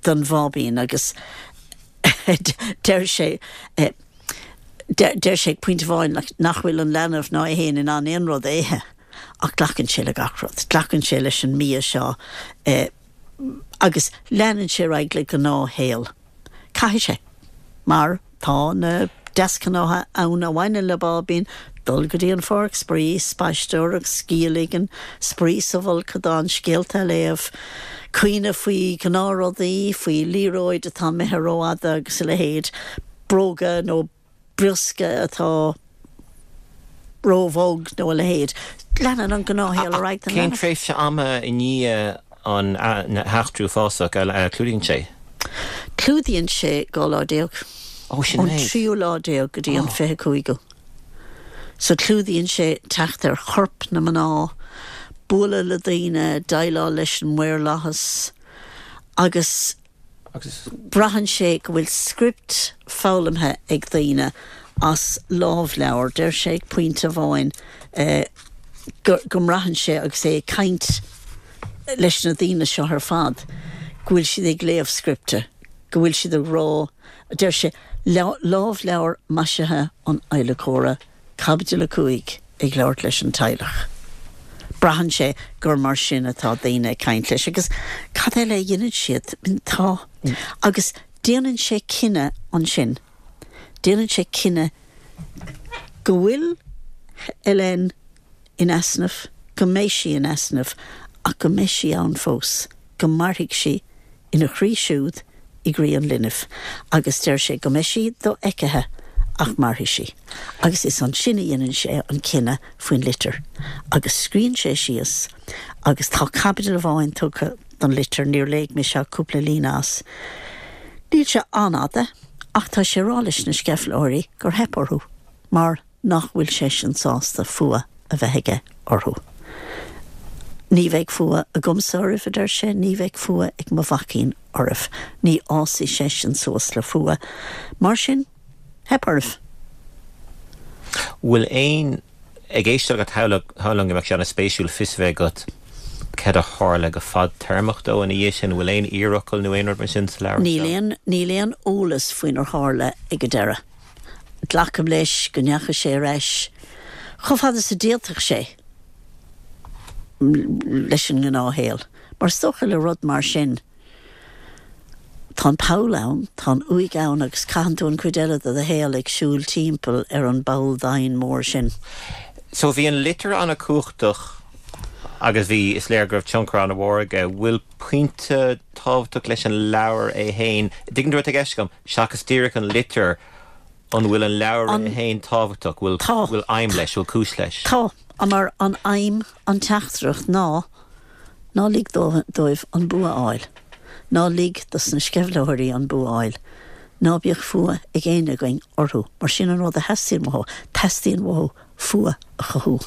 don bháibín agus deir sé deir sé ag pointe amháin like nach bhfuil an leanbh ná é fhéin in ann aon rud a ithe ach glacann sé le gach rud, glacann sé leis an mbia seo agus leanann sé ar aghaidh le gnáthshaol. Caithfidh sé, mar tá na deasghnátha ann a bhaineann le báibín, dul go dtí an pháirc spraoi, spaisteoireacht, scíth a ligean, spraoi sa bhfolcadán, scéalta a léamh, caoineadh faoi ghnáthrudaí, faoi liathróid atá imithe rófhada agus a leithéid, bróga nó briosca atá róbhog nó a leithéid. Leanann an gnáthshaol ar aghaidh don Cén leanbh. tréimhse ama i ndiaidh an heachtra uafásach a chlúdaíonn sé? Clúdaíonn sé 12 lá. Ó, sin Ón méid. tríú lá déag go dtí an 25ú. So clúdaíonn sé teacht ar chorp na mná, bualadh le daoine, déileáil leis an maorlathas agus Braitheann sé go bhfuil script foghlamtha ag daoine as lámhleabhar. Deir sé ag pointe amháin go mbraitheann sé agus é ag caint leis na daoine seo ar fad go bhfuil siad ag léamh scripte, go bhfuil siad ag rá, deir sé, lámhleabhar maisithe an adhlacóra. Caibidil 5, Ag labhairt leis an teaghlach. Braitheann sé gur mar sin atá daoine ag caint leis agus cad eile a dhéanann siad? Tá. Agus déanann sé cinneadh ansin. Déanann sé cinneadh go bhfuil Hélène in easnamh, go mbeidh sí in easnamh ach go mbeidh sí ann fós, go mairfidh sí ina chroí siúd, i gcroí an linbh, agus deir sé go mbeidh sí dofheicthe ach mairfidh sí. Agus is ansin a dhéanann sé an cinneadh faoin litir. Agus scríonn sé síos, agus tá caibidil amháin tugtha don litir, níor léigh mise ach cúpla líne as. Níl sé an-fhada, ach tá sé ag rá leis na sceimhlitheoirí gur theip orthu, mar. nach bhfuil seisean sásta fuath a bheith aige orthu. Ní bheidh fuath agamsa oraibh, a deir sé, ní bheidh fuath ag mo mhaicín oraibh. Ní fhásfaidh seisean suas le fuath. Mar sin, theip oraibh. Bhfuil aon, ag éisteacht leat, shamhlóinn go mbeadh sé an-spéisiúil fios a bheith agat cad a tharla go fadtéarmach dó ina dhiaidh sin. Bhfuil aon iarfhocal nó aon rud mar sin sa leabhar seo? Níl aon, níl aon eolas faoinar tharla ag an deireadh. Glacaim leis go ndeachaigh sé ar ais chomh fada is a d'fhéadfadh sé leis an ngnáthshaol. Mar is dócha le rud mar sin, tá an poll ann, tá an uaigh ann agus caitheann tú an chuid eile de do shaol ag siúl timpeall ar an bpoll doimhin mór sin. So bhí an litir an-chumhachtach agus bhí, is léir go raibh tionchar an-mhór aige. Bhfuil pointe tábhachtach leis an leabhar é féin? Tuigeann tú cad atá i gceist agam? Seachas díreach an litir, an bhfuil an leabhar é féin tábhachtach? Bhfuil, Tá. bhfuil aidhm leis? Bhfuil cúis leis? Tá, mar an aidhm, an teachtaireacht ná, ná lig dóibh an bua a fháil. Ná lig dos na sceimhlitheoirí an bua a fháil. Ná bíodh fuath ag éinne againn orthu, mar sin an rud a theastaíonn uathu, teastaíonn uathu fuath a chothú.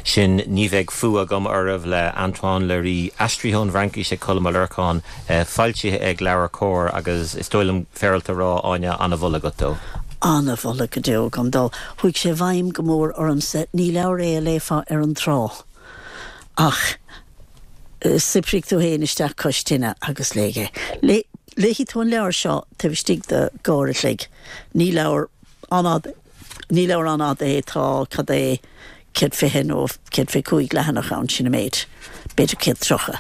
Sin Ní Bheidh Fuath Agam Oraibh le Antoine Leiris, aistrithe ón bhFraincis ag Colm Ó Lorcáin, foilsithe ag LeabhairCOMHAR agus is dóigh liom féaráilte a rá, Áine, an-mholadh agat dó. An-mholadh go deo agam dó. Chuaigh sé i bhfeidhm go mór ormsa. Ní leabhar é a léifeá ar an trá ach saothraigh tú féin isteach cois tine agus léigh é. Léifidh tú an leabhar seo taobh istigh de dhá uair a chloig. Ní leabhar an-fhada, ní leabhar an-fhada é, tá, cad é, 120 nó 125 leathanach ann, sin an méid, b'fhéidir 130.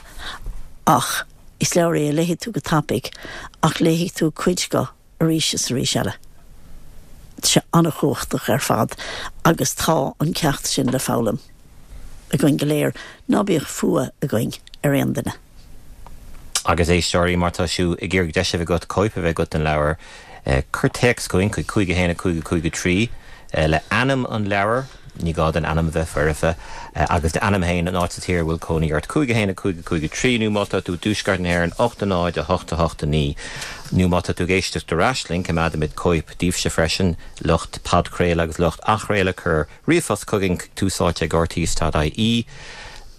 Ach is leabhar é a léifidh tú go tapaidh, ach léifidh tú cuid de arís is arís eile. Tá sé an-chumhachtach ar fad agus tá an ceacht sin le foghlaim againn go léir, ná bíodh fuath againn ar aon duine. Agus éisteoirí, má tá sibh ag iarraidh deis a bheith agat cóip a bheith agat den leabhar, cuir téacs chugainn chuig 5 1 5 5 3 le ainm an leabhair. Ní gá don ainm a bheith foirfe. Agus d'ainm féin, an áit sa tír a bhfuil cónaí ort. 5 1 5 5 3 nó má tá tú i dtuaisceart na hÉireann 8 0 8 8 9 nó má tá tú ag éisteacht ar ais linn, coimeádaimid cóip daoibhse freisin, lucht podchraoladh agus lucht athchraoladh, cuir ríomhphost chugainn chuig túsáite ag rte.ie,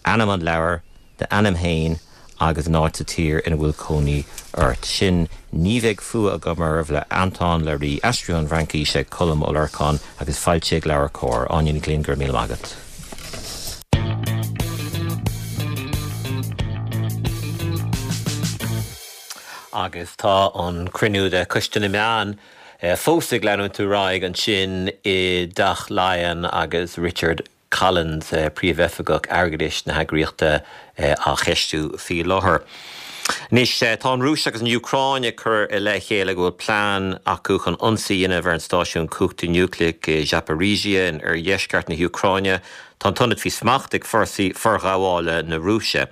ainm an leabhair, d'ainm féin agus an áit sa tír ina bhfuil cónaí ort. Sin Ní Bheidh Fuath Agam Oraibh le Antoine Leiris, aistrithe ón bhFraincís ag Colm Ó Lorcáin agus foilsithe ag LeabhairCOMHAR. Áine Ní Ghlinn, go raibh míle maith agat. Agus tá an cruinniú de Choiste na Meán fós ag leanúint ar aghaidh ansin i dTeach Laighean agus Richard Collins, Príomhoifigeach Airgeadais na heagraíochta, á cheistiú faoi láthair. Anois, tá an Rúis agus an Úcráin ag cur i leith a chéile go bhfuil plean acu chun ionsaí a dhéanamh ar an stáisiún cumhachta núicléach i Zaporizhzhia in oirdheisceart na hÚcráine. Tá an t-ionad faoi smacht ag fórsaí forghabhála na Rúise.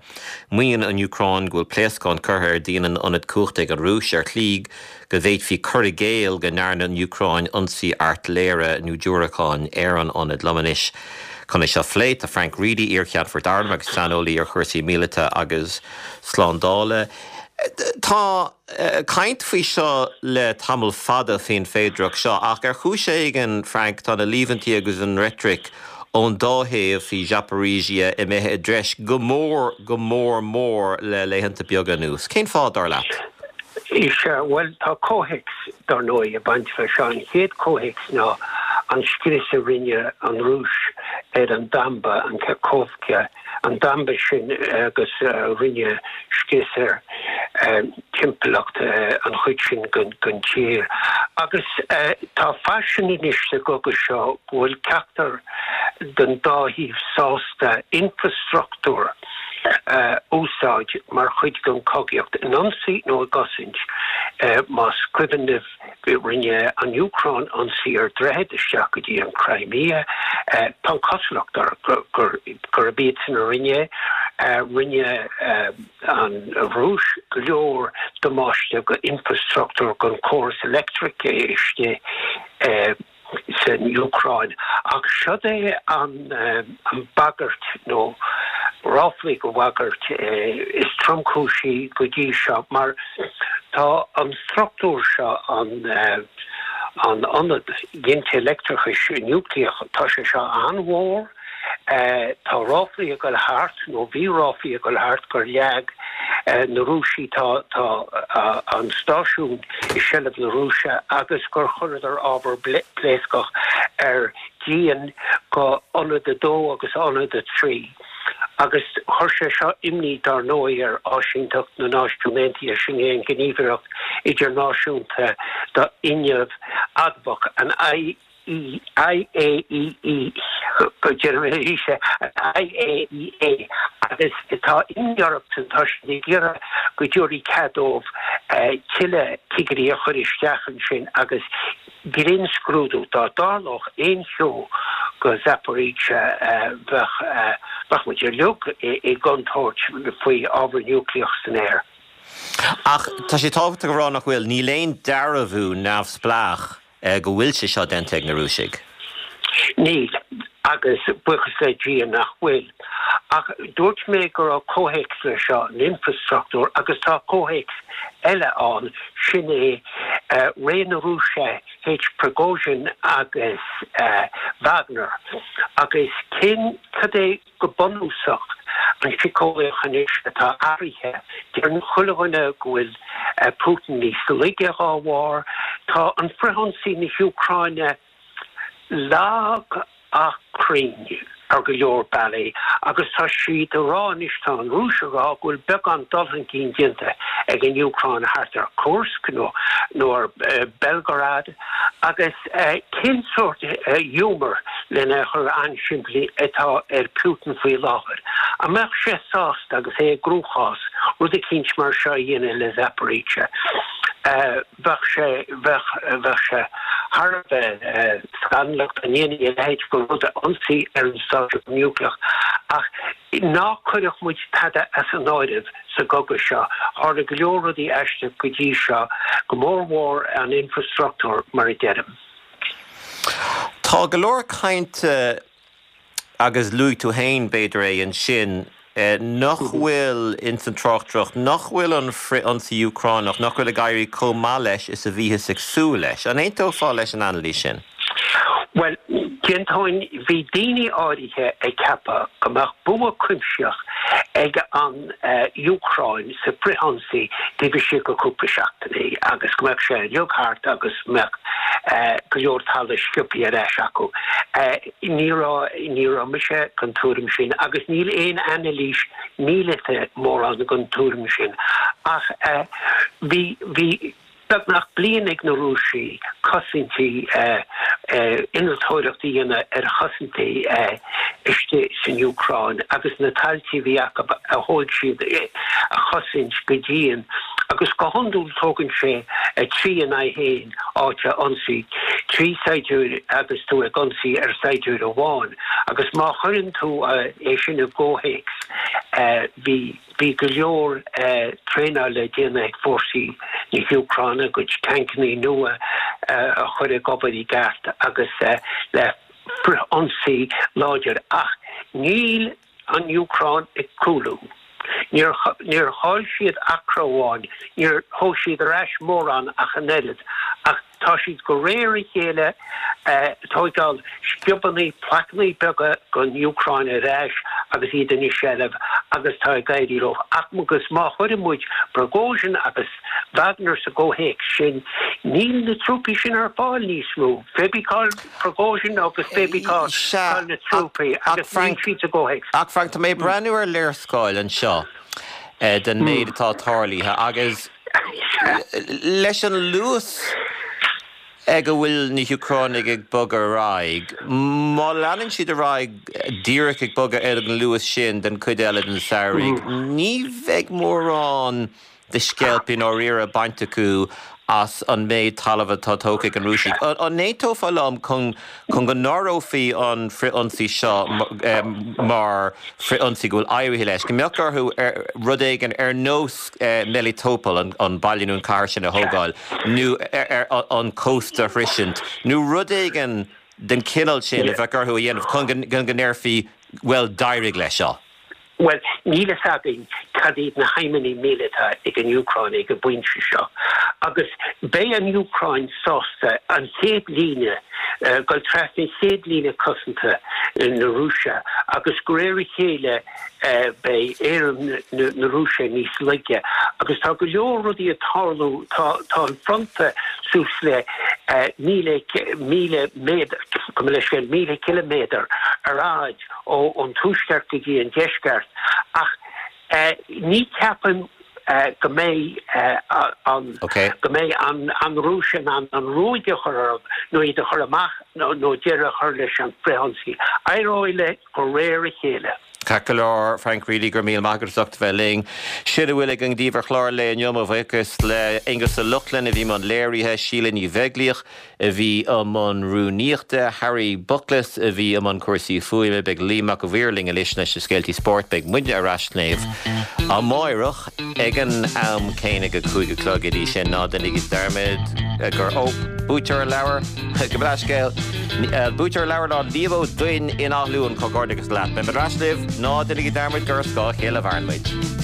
Maíonn an Úcráin go bhfuil pléascáin curtha ar dhíon an ionaid cumhachta ag an Rúis ar shlí go bhféadfaí cur i gcéill go ndearna an Úcráin ionsaí airtléire nó diúracáin ar an ionad. Liom anois chun é seo a phlé tá Frank Reidy, iar-cheannfort airm agus saineolaí ar chúrsaí míleata agus slándála. Tá caint faoi seo le tamall fada faoin féidearthacht seo ach ar chúis éigin, Frank, tá na líomhaintí agus an reitric ón dá thaobh faoi Zaporizhzhia imithe i dtreis go mór, go mór mór le laethanta beaga anuas. Cén fáth, dar leat? Is ea, bhuel, tá comhthéacs, dar ndóigh, ag baint leis seo. An chéad chomhthéacs ná an scrios a rinne an Rúis ar an damba, an Kakhovka, an damba sin agus rinne scrios ar timpeallacht an chuid sin den tír. Agus tá faisean anois sa gcogadh seo go bhfuil ceachtar den dá thaobh sásta infreastruchtúr a úsáid mar chuid den chogaíocht, in ionsaí nó i gcosaint. Más cuimhin libh, rinne an Úcráin ionsaí ar dhroichead isteach go dtí an Crimea. Tá an chosúlacht air gurb iadsan a rinne é. Rinne an Rúis go leor damáiste go infreastruchtúr, don chóras leictreachais istigh san Úcráin. Ach seod é an bhagairt, nó ráflaí go bhagairt, is tromchúisí go dtí seo, mar tá an struchtúr seo, an ionad ginte leictreachais núicléach, tá sé seo an-mhór, Tá ráflaí ag dul thart, nó bhí ráflaí ag dul thart, gur leag na Rúisigh, tá an stáisiún i seilbh na Rúise, agus gur chuireadar ábhar pléascach ar dhíon go ionad 2 agus ionad 3. Agus chuir sé seo imní, dar ndóigh, ar Áisínteacht na Náisiún Aontaithe, sin é an Ghníomhaireacht Idirnáisiúnta do Fhuinneamh Adamhach, an IAEA, go deimhin arís é, an IAEA, agus tá imní orthu, tá siad ag iarraidh go dtabharfaí cead dóibh tuilleadh cigirí a chur isteach ansin agus grinnscrúdú, dá dtarlódh aon cheo go Zaporizhzhia bheadh, bheadh muid uilig i gcontúirt faoi ábhar núicléach san aer. Ach tá sé tábhachtach a rá nach bhfuil, níl aon dearbhú neamhspleách go bhfuil sé seo déanta ag na Rúisigh? Níl, agus buíochas le Dia nach bhfuil. Ach dúirt mé go raibh comhthéacs leis seo, an infreastruchtúr, agus tá comhthéacs eile ann, sin é ré na Rúise théis Prigozhin agus Wagner. Agus cén, cad é Go bunúsach, an síceolaíocht anois atá athraithe. Deireann chuile dhuine go bhfuil Putin níos laige dhá bharr. Tá an frithionsaí na hÚcráine lag ach cruinn ar go leor bealaí agus tá siad a rá anois, tá an Rúis a rá go bhfuil beagán dul chun cinn déanta ag an Úcráin thart ar Kursk nó nó ar Belgorod. Agus cén sórt ghiúmar, lena chur an-simplí, atá ar Putin faoi láthair? An mbeadh sé sásta, agus é i gcruachás, rud eicínt mar seo a dhéanamh le Zaporizhzhia? Bheadh sé, bheadh, bheadh sé thar a bheith scannalach dá ndéanfaí a leithéid de rud, ionsaí ar an stáisiún núicléach. Ach ná cuireadh muid tada as an áireamh. sa gcogadh seo. Tharla go leor rudaí aisteach go dtí seo, go mór mhór an infreastruchtúr, mar a deirim. Tá go leor cainte. Agus luaigh tú féin, b'fhéidir é ansin, nach bhfuil ins an tráchtaireacht, nach bhfuil an frith-ionsaí Úcránach, nach bhfuil ag éirí chomh maith leis is a bhíothas ag súil leis. An aontófá leis an anailís sin? Bhuel, d'aontóinn. Bhí daoine áirithe ag ceapadh go mbeadh bua cuimsitheach ag an Úcráin sa bhfrithionsaí taobh istigh de chúpla seachtainí agus go mbeadh sé uilig thart agus go mbeadh go leor talamh sciobtha ar ais acu. Ní raibh, ní raibh mise den tuairim sin agus níl aon anailís míleata mórán den tuairim sin ach bhí, bhí, Beagnach bliain ag na Rúisigh cosaintí, innealtóireacht a dhéanamh ar chosaintí istigh san Úcráin agus na tailte a bhí acu a thóig siad a chosaint go dian agus go hiondúil tógann sé 3 in aghaidh 1 áit a ionsaí, 3 saighdiúir agus tú ag ionsaí ar saighdiúir amháin agus má chuireann tú é sin i gcomhthéacs bhí Bhí go leor traenála le déanamh ag fórsaí na hÚcráine, a gcuid tancannaí nua a chur ag obair i gceart agus le frith-ionsaí láidir. Ach níl an Úcráin ag cúlú. Níor chaill siad acra amháin, níor thóg siad ar ais mórán ach an oiread. Ach Tá siad de réir a chéile ag tóigeáil sciobannaí, plaiceannaí beaga den Úcráin ar ais agus iad ina seilbh agus tá ag éirí leo. Agus má chuireann muid Prigozhin agus Wagner sa gcomhthéacs sin, níl na trúpaí sin ar fáil níos mó. Pé bí cá'il Prigozhin agus pé bí cá bhfuil na trúpaí agus níl siad sa gcomhthéacs. Ach Frank, tá mé ag breathnú ar léarscáil anseo den méid atá tarlaithe agus, Leis an luas ag a bhfuil na hÚcránaigh ag bogadh ar aghaidh, má leanann siad ar aghaidh díreach ag bogadh ar an luas sin den chuid eile den samhradh, ní bheidh mórán de sceilp i ndáiríre bainte acu as an méid talaimh atá tógtha ag an Rúisigh. An aontófá liom chun go n-áireofaí an frith-ionsaí seo mar frith-ionsaí go bhfuil éirithe leis, go mbeadh orthu rud éigin ar nós Melitopol, an baile nó an cathair sin a thógáil, nó an cósta a shroisint, nó rud éigin den chineál sin a bheadh orthu a dhéanamh chun go ndéarfaí, bhuel, d'éirigh leis seo? Bhuel, níl fhios againn cad iad na haidhmeanna míleata ag an Úcráin ag an bpointe seo. Agus beidh an Úcráin sásta an chéad líne, dul trasna chéad líne cosanta na Rúise agus de réir a chéile beidh éirim na Rúise níos laige. Agus tá go leor rudaí ag tarlú, tá an fronta suas le 1,000 méadar, gabh mo leithscéal, 1,000 ciliméadar ar fhaid. ón tuaisceart go dtí an deisceart ach ní cheapaim go mbeidh an go mbeidh an Rúis in ann an ruaig a chur orthu nó iad a chur amach nó deireadh a chur leis an frithionsaí. Éireoidh leis de réir a chéile. Ceart go leor, Frank Reilly, go raibh míle maith agat as ucht a bheith linn. Sin a bhfuil againn daoibh ar chlár an lae inniu. Mo bhuíochas le Aonghus Ó Lochlainn a bhí i mbun léirithe, Síle Ní Bheaglaoich, a bhí i mbun rúnaíochta, Harry Buckles a bhí i mbun cúrsaí fuaime, beidh Liam Mac a' Mhaoir linn anois leis na scéaltaí spóirt, beidh muidne ar ais libh amáireach ag an am céanna ag a 5 a chlog, go dtí sin ná déanaigí dearmad gur, ó, buaiteoir an leabhair, gabh mo leithscéal, buaiteoir an leabhair ná Liam Ó Duinn in Áth Luain, comhghairdeachas leat. Beidh muid ar ais libh, ná déanaigí dearmad gur ar scáth a chéile a mhaireann muid.